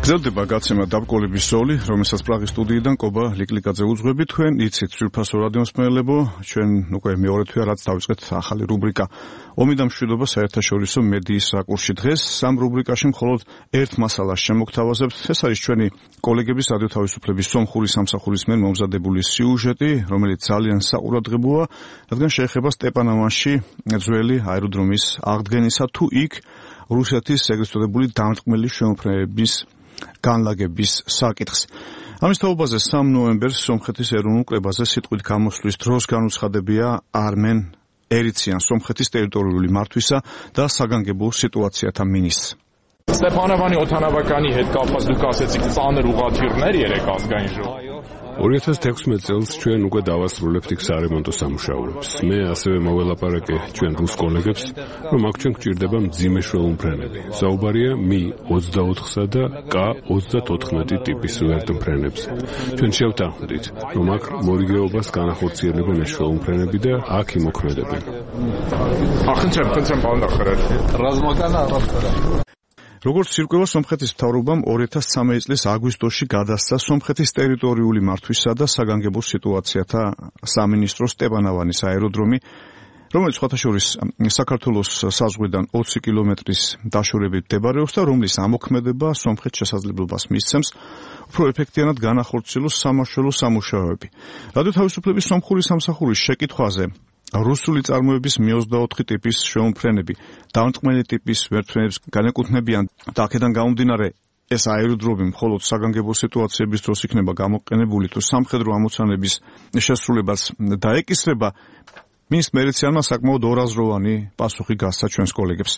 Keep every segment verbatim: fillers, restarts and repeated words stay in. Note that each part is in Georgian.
გრძელდება გაცემა დაბკოლების ზოლი, რომელსაც პრაღის სტუდიიდან კობა ლიკლიკაძე უძღვები. თქვენ იცით ძვირფასო რადიო მსმენელებო, ჩვენ უკვე მეორე თვეა რაც დავიწყეთ ახალი რუბრიკა ომი და მშვიდობა საერთაშორისო მედიის რაკურსში. დღეს სამ რუბრიკაში მხოლოდ ერთ მასალას შემოგთავაზებთ. ეს არის ჩვენი კოლეგების რადიო თავისუფლების სომხური სამსახურის მიერ მომზადებული სიუჟეტი, რომელიც ძალიან საყურადღებოა, რადგან შეეხება სტეპანოვანში ძველი აეროდრომის აღდგენისა თუ იქ რუსეთის ეგრეთ წოდებული დამრტყმელი შემოფრენების განლაგების საკითხს. ამის თაობაზე სამ ნოემბერს სომხეთის ეროვნულ კრებაზე სიტყვით გამოსვლის დროს განუცხადებია არმენ ერიციან, სომხეთის ტერიტორიული მართვისა და საგანგებო სიტუაციათა მინისტრს. Ստեփանովանի օթանավականի հետ կապված դուք ասեցիք ծանր ուղղաթիռներ երեք ազգային ժողովի. ორი ათას თექვსმეტ წელს ჩვენ უკვე დავასრულებთ იქ სარემონტო სამუშაოებს. მე ასევე მოველაპარაკე ჩვენ რუს კოლეგებს, რომ აქ ჩვენ გვჭირდება მძიმე შველმფრენები. საუბარია მი ოცდაოთხსა და კა ოცდათოთხმეტი ტიპის ვერტმფრენებზე. ჩვენ შევთანხმდით, რომ აქ მორიგეობას განახორციელებენ ეს შველმფრენები და აქ იმოქმედებენ. ახლა ხնդრեմ ბანდახერად. რაზმაგანა არაფერა. როგორც ირკვევა, სომხეთის მთავრობამ ორი ათას ცხრამეტი წლის აგვისტოში გადასცა სომხეთის ტერიტორიული მართვისა და საგანგებო სიტუაციათა სამინისტრო სტეპანოვანის აეროდრომი, რომელიც სხვათა შორის საქართველოს საზღვრიდან ოცი კილომეტრის დაშორებით მდებარეობს და რომლის ამოქმედება სომხეთს შესაძლებლობას მისცემს უფრო ეფექტიანად განახორციელოს სამაშველო სამუშაოები. რადიო თავისუფლების სომხური სამსახურის შეკითხვაზე რუსული წარმოების მი ოცდაოთხი ტიპის შემოფრენები დამრტყმელი ტიპის ვერტმფრენებს განეკუთვნებიან და აქედან გამომდინარე ეს აეროდრომი მხოლოდ საგანგებო სიტუაციების დროს იქნება გამოყენებული თუ სამხედრო ამოცანების შესრულებას დაეკისრება, მინისტრ ერიციანმა საკმაოდ ორაზროვანი პასუხი გასცა ჩვენს კოლეგებს.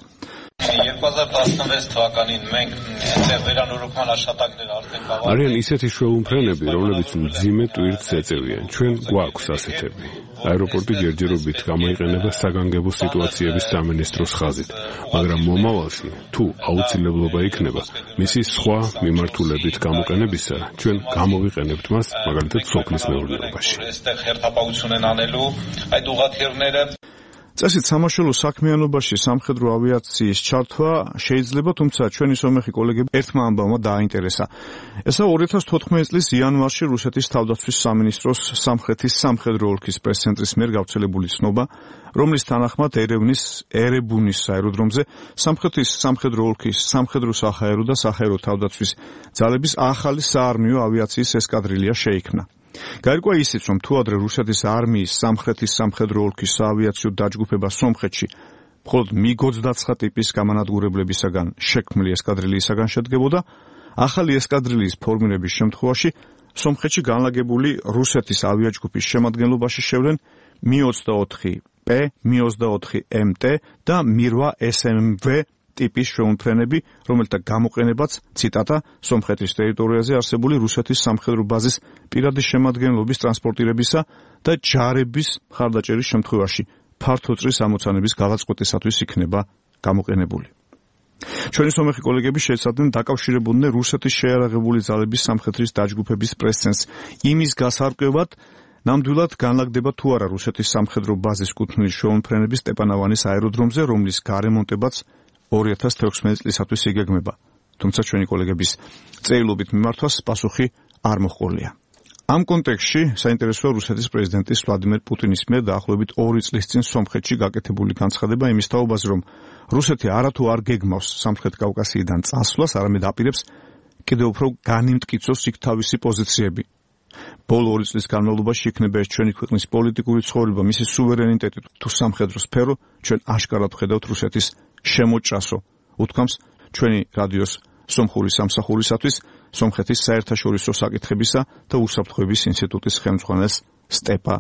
երկու հազար տասնվեց թվականին մենք այդտեղ վերանորոգման աշխատանքներ արդեն կավարտել. არიან ისეთი შველმფრენები, რომლებიც მძიმე ტვირთს ეწევიან. ჩვენ გვაქვს ასეთები. აეროპორტი ჯერჯერობით გამოიყენება საგანგებო სიტუაციების სამინისტროს ხაზით, მაგრამ მომავალში თუ აუცილებლობა იქნება მისი სხვა მიმართულებით გამოყენებისა, ჩვენ გამოვიყენებთ მას მაგალითად სოფლის მეურნეობაში. Այստեղ հերթապահություն են անելու այդ ուղղաթիռները. წესით სამაშველო საქმიანობაში სამხედრო ავიაციის ჩართვა შეიძლება, თუმცა ჩვენი სომეხი კოლეგები ერთმა ამბავმა დააინტერესა. ესა ორი ათას თოთხმეტი წლის იანვარში რუსეთის თავდაცვის სამინისტროს სამხრეთის სამხედრო ოლქის პრეს-ცენტრის მიერ გავრცელებული ცნობა, რომლის თანახმად ერევნის ერებუნის აეროდრომზე სამხრეთის სამხედრო ოლქის სამხედრო საჰაერო და საჰაერო თავდაცვის ძალების ახალი საარმიო ავიაციის ესკადრილია შეიქმნა. გაირკვა ისიც, რომ თუ ადრე რუსეთის არმიის სამხრეთის სამხედრო ოლქის საავიაციო დაჯგუფება სომხეთში მხოლოდ მიგ ოცდაცხრა ტიპის გამანადგურებლებისაგან შექმნილი ესკადრილიისაგან შედგებოდა, ახალი ესკადრილიის ფორმირების შემთხვევაში სომხეთში განლაგებული რუსეთის ავიაჯგუფის შემადგენლობაში შევლენ მი ოცდაოთხი პე, მი ოცდაოთხი ემ ტე და მი რვა ეს ემ ვე ტიპის შემოფრენები, რომელთა გამოყენებაც, ციტატა, სომხეთის ტერიტორიაზე არსებული რუსეთის სამხედრო ბაზის პირადი შემადგენლობის ტრანსპორტირებისა და ჯარების მხარდაჭერის შემთხვევაში ფართოწრის ამოცანების გადაწყვეტისათვის იქნება გამოყენებული. ჩვენი სომეხი კოლეგები შეეცადნენ დაკავშირებოდნენ რუსეთის შეიარაღებული ძალების სამხედრის დაჯგუფების პრეს-ცენტრს იმის გასარკვევად, ნამდვილად განლაგდება თუ არა რუსეთის სამხედრო ბაზის კუთვნილი შემოფრენები სტეპანოვანის აეროდრომზე, რომლის გარემონტებაც ორი ათას თექვსმეტი წლისათვის იგეგმება. თუმცა ჩვენი კოლეგების წერილობით მიმართვას პასუხი არ მოჰყოლია. ამ კონტექსტში საინტერესოა რუსეთის პრეზიდენტის ვლადიმერ პუტინის მიერ დაახლოებით ორი წლის წინ სომხეთში გაკეთებული განცხადება იმის თაობაზე, რომ რუსეთი არათუ არ გეგმავს სამხრეთ კავკასიიდან წასვლას, არამედ აპირებს კიდევ უფრო განიმტკიცოს იქ თავისი პოზიციები. ბოლო ორი წლის განმავლობაში იქნება ეს ჩვენი ქვეყნის პოლიტიკური ცხოვრება, მისი სუვერენიტეტი თუ სამხედრო სფერო, ჩვენ აშკარად ვხედავთ რუსეთის შემოჭრასო, უთქვამს ჩვენი რადიოს სომხური სამსახურისათვის სომხეთის საერთაშორისო საკითხებისა და უსაფრთხოების ინსტიტუტის ხელმძღვანელს სტეპა